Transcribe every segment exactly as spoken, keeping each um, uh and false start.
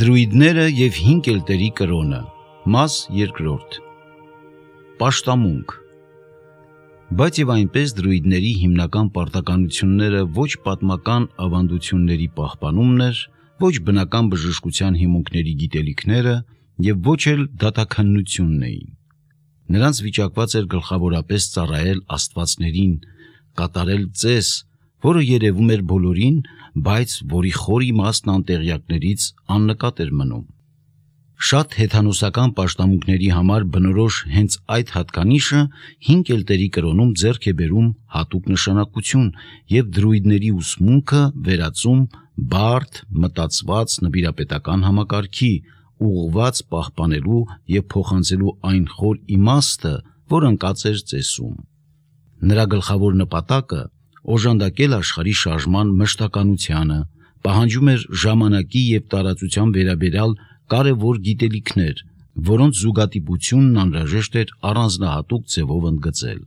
Դրույդները և հինգ էլտերի կրոնը, մաս երկրորդ։ Պաշտամունք։ Բայց և այնպես դրույդների հիմնական պարտականությունները ոչ պատմական ավանդությունների պահպանումն էր, ոչ բնական բժշկության հիմունքների գիտելիքները և ոչ էլ դատաքննությունն էին։ Նրանց վիճակված էր գլխավորապես ծառայել աստվածներին, կատարել ծես, որը երևում էր բոլորին, բայց որի խոր իմաստն անտեղյակներից աննկատ էր մնում։ Շատ հեթանոսական պաշտամունքների համար բնորոշ հենց այդ հատկանիշը հինգ էլտերի կրոնում ձեռք է բերում հատուկ նշանակություն և դրույդների ուսմունքը վերածում բարդ, մտածված նվիրապետական համակարգի, ուղղված պահպանելու և փոխանցելու այն խոր իմաստը, որ ընկած էր ծեսում։ Նրա գլխավոր նպատակը օժանդակել աշխարհի շարժման մշտականությանը, պահանջում էր ժամանակի և տարածության վերաբերյալ կարևոր գիտելիքներ, որոնց զուգադիպությունն անհրաժեշտ էր առանձնահատուկ ձևով ընդգծել։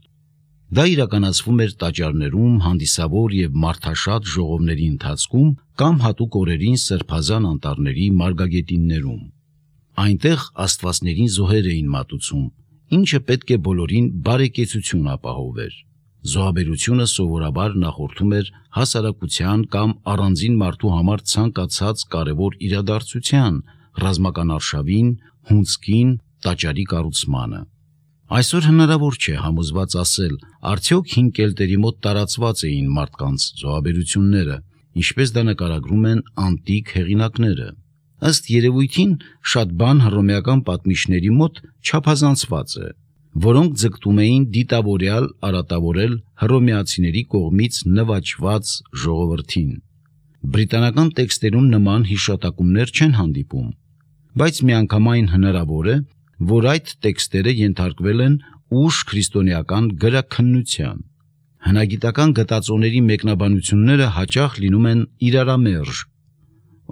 Դա իրականացվում էր տաճարներում, հանդիսավոր և մարդաշատ ժողովների ընթացքում կամ հատուկ օրերին սրբազան անտառների մարգագետիններում։ Այնտեղ աստվածներին զոհեր էին մատուցում, ինչը պետք է բոլորին բարեկեցություն ապահովեր։ Զոհաբերությունը սովորաբար նախորդում էր հասարակության կամ առանձին մարդու համար ցանկացած կարևոր իրադարձության, ռազմական արշավին, հունձքին, տաճարի կառուցմանը։ Այսօր հնարավոր չէ համոզված ասել, արդյոք հինգ էլտերի մոտ տարածված էին մարդկանց զոհաբերությունները, ինչպես դա նկարագրում են անտիկ հեղինակները։ Ըստ երևույթին, շատ բան հռոմեական պատմիչների մոտ չափազանցված է, որոնք ձգտում էին դիտավորյալ արատավորել հռոմեացիների կողմից նվաճված ժողովրդին։ Բրիտանական տեքստերում նման հիշատակումներ չեն հանդիպում, բայց միանգամայն հնարավոր է, որ այդ տեքստերը ենթարկվել են ուշ քրիստոնեական գրաքննության։ Հնագիտական գտածոների մեկնաբանությունները հաճախ լինում են իրարամերժ։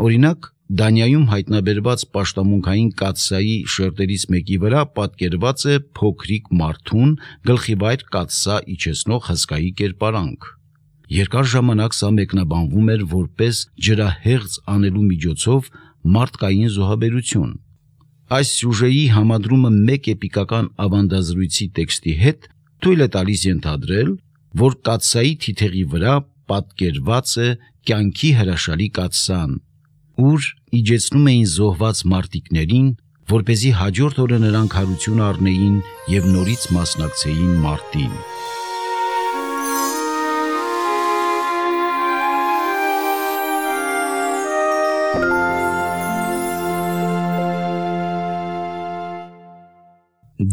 Օրինակ, Դանիայում հայտնաբերված պաշտամունքային կաթսայի շերտերից մեկի վրա պատկերված է փոքրիկ մարդուն գլխիվայր կաթսա իջեցնող հսկայի կերպարանք։ Երկար ժամանակ սա մեկնաբանվում էր որպես ջրահեղձ անելու միջոցով մարդկային զոհաբերություն։ Այս սյուժեի համադրումը մեկ էպիկական ավանդազրույցի տեքստի հետ թույլ է տալիս ենթադրել, որ կաթսայի թիթեղի վրա պատկերված է կյանքի հրաշալի կաթսան, ուր իջեցնում էին զոհված մարտիկներին, որպեսզի հաջորդ օրը նրանք հարություն առնեին և նորից մասնակցեին մարտին։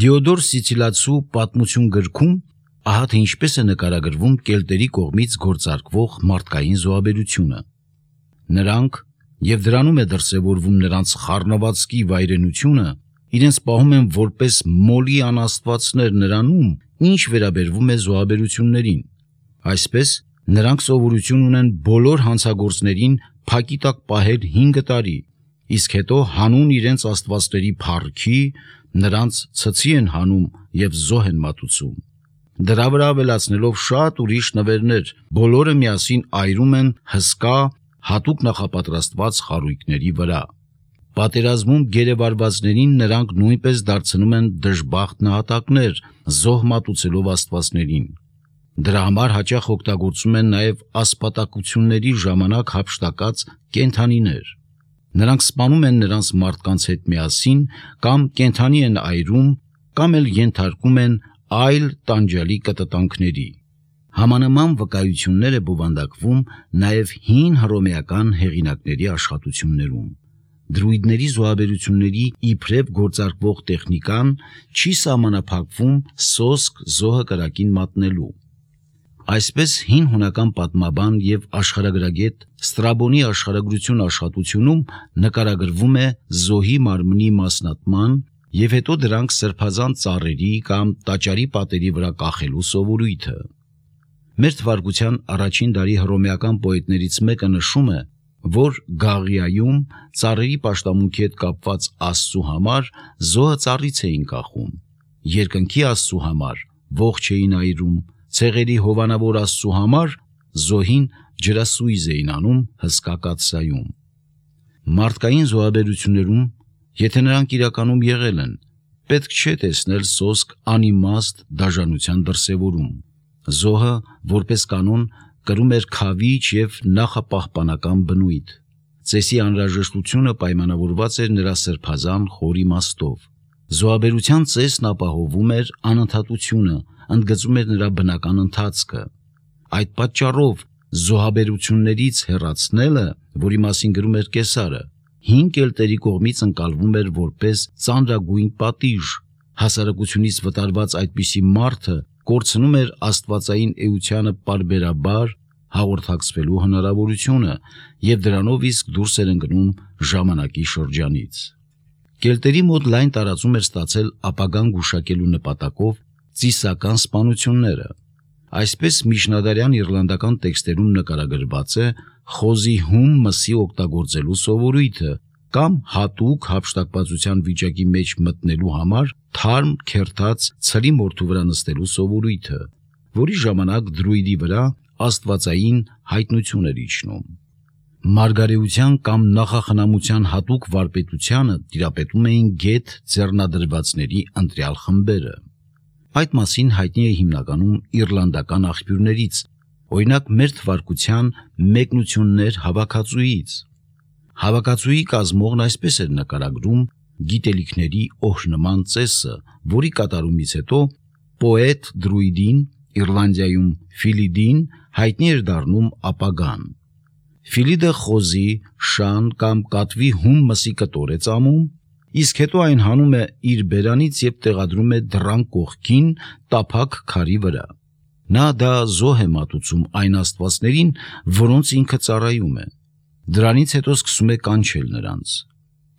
Դիոդոր Սիցիլացու պատմություն գրքում ահա թե ինչպես է նկարագրվում կելտերի կողմից գործարկվող մարդկային զոհաբերությունը։ Նրանք, և դրանում է դրսևորվում նրանց խառնվածքի վայրենությունը, իրենց պահում են որպես մոլի անաստվածներ նրանում, ինչ վերաբերվում է զոհաբերություններին։ Այսպես, նրանք սովորություն ունեն բոլոր հանցագործներին փակի տակ պահել հինգ տարի, իսկ հետո հանուն իրենց աստվածների փառքի նրանց ցցի են հանում և զոհ են մատուցում։ Դրա վրա ավելացնելով շատ ուրիշ նվերներ, բոլորը միասին այրում են հսկա, հատուկ նախապատրաստված խարույկների վրա։ Պատերազմում գերեվարվածներին նրանք նույնպես դարձնում են դժբախտ նահատակներ, զոհ մատուցելով աստվածներին։ Դրա համար հաճախ օգտագործում են նաև ասպատակությունների ժամանակ հափշտակած կենդանիներ։ Նրանք սպանում են նրանց մարդկանց հետ միասին, կամ կենդանի են այրում, կամ էլ ենթարկում են այլ տանջալի կտտանքների։ Համանման վկայություններ է բովանդակվում նաև հին հռոմեական հեղինակների աշխատություններում։ Դրույդների զոհաբերությունների իբրև գործարկվող տեխնիկան չի սահմանափակվում սոսկ զոհը կրակին մատնելու։ Այսպես հին հունական պատմաբան և աշխարհագրագետ Ստրաբոնի աշխարհագրություն աշխատությունում նկարագրվում է զոհի մարմնի մասնատման և հետո դրանք սրբազան ծառերի կամ տաճարի պատերի վրա կախելու սովորույթը։ Մեր թվարկության առաջին դարի հռոմեական պոետներից մեկը նշում է, որ Գաղիայում ծառերի պաշտամունքի հետ կապված աստծու համար զոհը ծառից էին կախում, երկնքի աստծու համար ողջ էին այրում, ցեղերի հովանավոր աստծու համար զոհին ջրասույզ էին անում հսկա կաթսայում։ Մարդկային զոհաբերություններում, եթե նրանք իրականում եղել են, պետք չէ տեսնել սոսկ անիմաստ դաժանության դրսևորում։ Զոհը, որպես կանոն, կրում էր քավիչ և նախապահպանական բնույթ։ Ծեսի անհրաժեշտությունը պայմանավորված էր նրա սրբազան խոր իմաստով։ Զոհաբերության ծեսն ապահովում էր անընդհատությունը, ընդգծում էր նրա բնական ընթացքը։ Այդ պատճառով զոհաբերություններից հեռացնելը, որի մասին գրում էր Կեսարը, հին կելտերի կողմից ընկալվում էր որպես ծանրագույն պատիժ։ Հասարակությունից վտարված այդպիսի մարդը կորցնում էր աստվածային էությանը պարբերաբար հաղորդակցվելու հնարավորությունը և դրանով իսկ դուրս էր ընկնում ժամանակի շրջանից։ Կելտերի մոտ լայն տարածում էր ստացել ապագան գուշակելու նպատակով ծիսական սպանությունները։ Այսպես միջնադարյան իռլանդական տեքստերում նկարագրված է խոզի հում մսի օգտագործելու սովորույթը կամ հատուկ հափշտակվածության վիճակի մեջ մտնելու համար թարմ քերթած ցրի մորթու վրա նստելու սովորույթը, որի ժամանակ դրույդի վրա աստվածային հայտնություն էր իջնում։ Մարգարեության կամ նախախնամության հատուկ վարպետությանը տիրապետում էին գեթ ձեռնադրվածների ընտրյալ խմբերը։ Այդ մասին հայտնի է հիմնականում իռլանդական աղբյուրներից, օրինակ մեր թվարկության մեկնություններ հավաքածուից։ Հավաքածուի կազմողն այսպես էր նկարագրում գիտելիքների օրհնման ծեսը, որի կատարումից հետո պոետ դրույդին, Իռլանդիայում Ֆիլիդին, հայտնի էր դառնում ապագան։ Ֆիլիդը խոզի, շան կամ կատվի հում մսի կտոր է ծամում, իսկ հետո այն հանում է իր բերանից և տեղադրում է դռան կողքին տափակ քարի վրա։ Նա դա զոհ է մատուցում այն աստվածներին, որոնց ինքը ծառայում է։ Դրանից հետո սկսում է կանչել նրանց։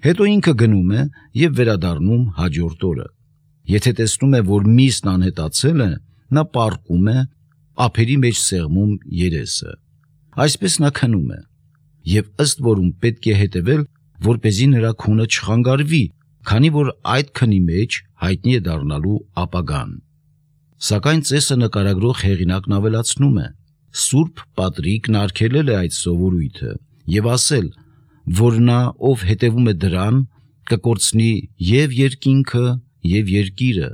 Հետո ինքը գնում է և վերադառնում հաջորդ օրը։ Եթե տեսնում է, որ միսն անհետացել է, նա պառկում է, ափերի մեջ սեղմում երեսը։ Այսպես նա քնում է, և ըստ որում պետք է հետևել, որպեսզի նրա քունը չխանգարվի, քանի որ այդ քնի մեջ հայտնի է դառնալու ապագան։ Սակայն ծեսը նկարագրող հեղինակն ավելացնում է. Սուրբ Պատրիկն արգելել է այդ սովորույթը և ասել, որ նա, ով հետևում է դրան, կկորցնի և երկինքը, և երկիրը,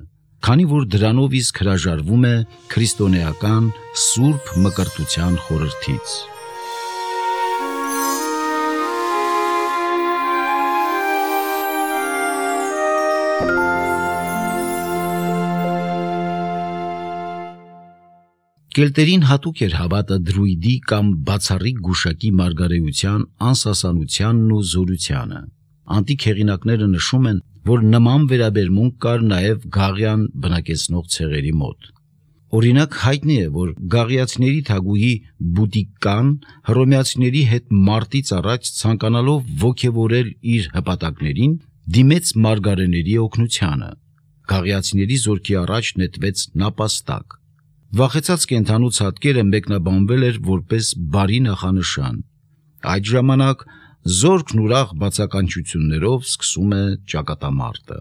քանի որ դրանով իսկ հրաժարվում է քրիստոնեական սուրբ մկրտության խորհրդից։ Կելտերին հատուկ էր հավատը դրույդի կամ բացառիկ գուշակի մարգարեության անսասանությանն ու զորությանը։ Անտիկ հեղինակները նշում են, որ նման վերաբերմունք կար նաև գաղյան բնակեցնող ցեղերի մոտ։ Օրինակ հայտնի է, որ գաղիացիների թագուհի Բուտիկկան հռոմեացիների հետ մարտից առաջ ցանկանալով ոգևորել իր հպատակներին, դիմեց մարգարեների օգնությանը։ Գաղիացիների զորքի առաջ նետվեց նապաստակ։ Վախեցած կենդանու ցատկերը մեկնաբանվել էր որպես բարի նախանշան։ Այդ ժամանակ զորքն ուրախ բացականչություններով սկսում է ճակատամարտը։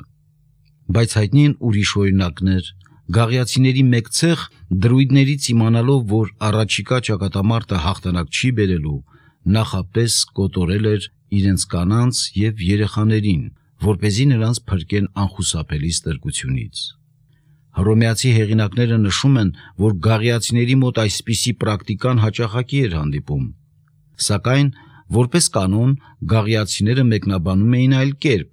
Բայց հայտնի են ուրիշ օրինակներ։ Գաղիացիների մեկ ցեղ դրույդներից իմանալով, որ առաջիկա ճակատամարտը հաղթանակ չի բերելու, նախապես կոտորել էր իրենց կանանց և երեխաներին, որպեսզի նրանց փրկեն անխուսափելի ստրկությունից։ Հռոմեացի հեղինակները նշում են, որ գաղիացիների մոտ այսպիսի պրակտիկան հաճախակի էր հանդիպում։ Սակայն, որպես կանոն, գաղիացիները մեկնաբանում էին այլ կերպ։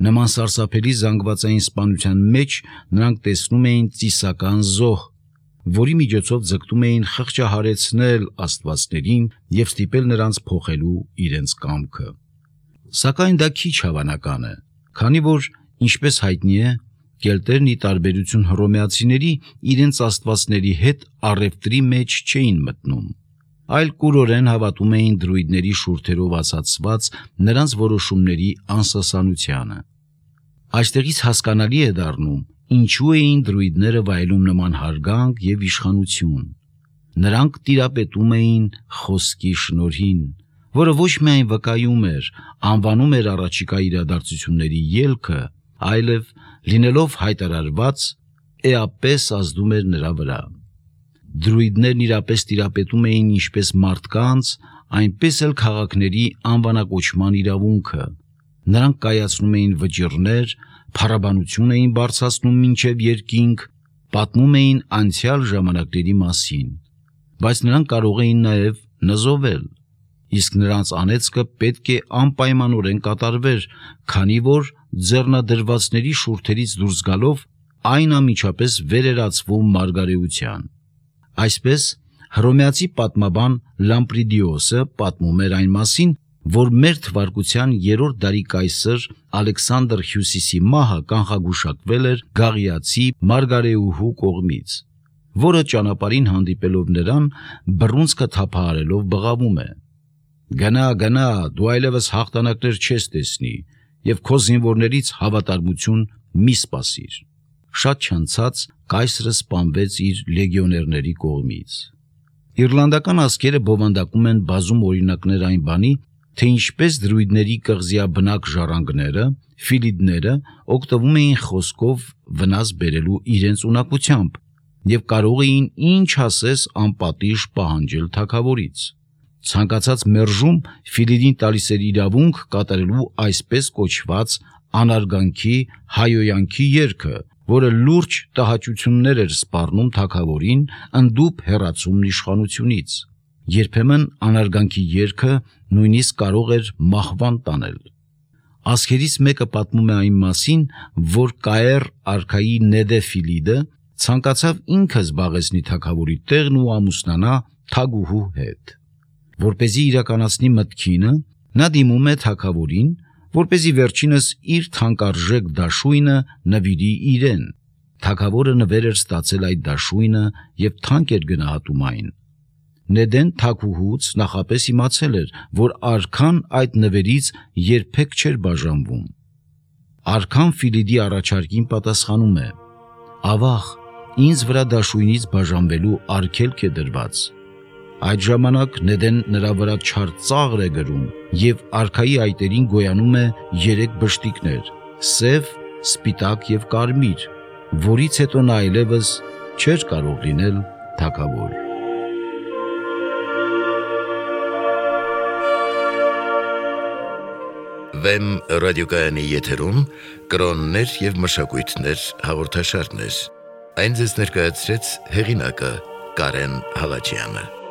Նման սարսափելի զանգվածային սպանության մեջ նրանք տեսնում էին ծիսական զոհ, որի միջոցով ձգտում էին խղճահարեցնել աստվածներին և ստիպել նրանց փոխելու իրենց կամքը։ Սակայն դա քիչ հավանական է, քանի որ, ինչպես հայտնի է, կելտերն ի տարբերություն հռոմեացիների իրենց աստվածների հետ առևտրի մեջ չէին մտնում, այլ կուրորեն հավատում էին դրույդների շուրթերով ասացված նրանց որոշումների անսասանությանը։ Այստեղից հասկանալի է դառնում, ինչու էին դրույդները վայելում նման հարգանք և իշխանություն։ Նրանք տիրապետում էին խոսքի շնորհին, որը ոչ միայն վկայում էր, անվանում էր առաջիկա իրադարձությունների ելքը, այլև լինելով հայտարարված, էապես ազդում էր նրա վրա։ Դրույդներն իրապես տիրապետում էին ինչպես մարդկանց, այնպես էլ քաղաքների անվանակոչման իրավունքը։ Նրանք կայացնում էին վճիռներ, փառաբանություն էին բարձրացնում մինչև երկինք, պատմում էին անցյալ ժամանակների մասին, բայց նրանք կարող էին նաև նզովել, իսկ նրանց անեծքը պետք է անպայմանորեն կատարվեր, քանի որ ձեռնադրվածների շուրթերից դուրս գալով այն անմիջապես վերերացվում մարգարեության։ Այսպես հռոմեացի պատմաբան Լամպրիդիոսը պատմում էր այն մասին, որ մեր թվարկության երրորդ դարի կայսր Ալեքսանդր Հյուսիսի մահը կանխագուշակվել էր Գաղիացի մարգարեուհու կողմից, որը ճանապարհին հանդիպելով նրան բռունցքը թափահարելով բղավում է. «Գնա, գնա, դու այլևս հաղթանակներ չես տեսնի և քո զինվորներից հավատարմություն մի սպասիր»։ Շատ չանցած կայսրը սպանվեց իր լեգիոներների կողմից։ Իռլանդական ազգերը բովանդակում են բազում օրինակներ այն բանի, թե ինչպես դրույդների կղզիաբնակ ժառանգները, ֆիլիդները օգտվում էին խոսքով վնաս բերելու իրենց ունակությամբ և կարող էին ինչ ասես անպատիժ պահանջել թագավորից։ Ցանկացած մերժում Ֆիլիդին տալիս էր իրավունք կատարելու այսպես կոչված անարգանքի հայոյանքի երգը, որը լուրջ տհաճություններ էր սպառնում թագավորին ընդդուփ հեռացումն իշխանությունից։ Երբեմն անարգանքի երգը նույնիսկ կարող էր մահվան տանել։ Ազգերից մեկը պատմում է այն մասին, որ Կայեր արքայի Նեդե Ֆիլիդը ցանկացավ ինքը զբաղեցնի թագավորի տեղն ու ամուսնանա թագուհու հետ։ Որպեսզի իրականացնի մտքինը, նա դիմում է թագավորին, որպեսզի վերջինս իր թանկարժեք դաշույնը նվիրի իրեն։ Թագավորը նվեր էր ստացել այդ դաշույնը և թանկ էր գնահատում այն։ Նեդեն թագուհուց նախապես իմացել էր, որ արքան այդ նվերից երբեք չէր բաժանվում։ Արքան Ֆիլիդի առաջարկին պատասխանում է. «Ավաղ, ինձ վրա դաշույնից բաժանվելու արգելք է դրված»։ Այդ ժամանակ Նեդեն նրա վրա չար ծաղր է գրում և արքայի այտերին գոյանում է երեք բշտիկներ՝ սև, սպիտակ և կարմիր, որից հետո նա այլևս չէր կարող լինել թագավոր։ Վեմ ռադիոկայանի եթերում կրոններ և մշակույթներ հաղորդաշարներ։ Այն ձեզ ներկայացրեց հեղինակը Կարեն Հալաջյանը։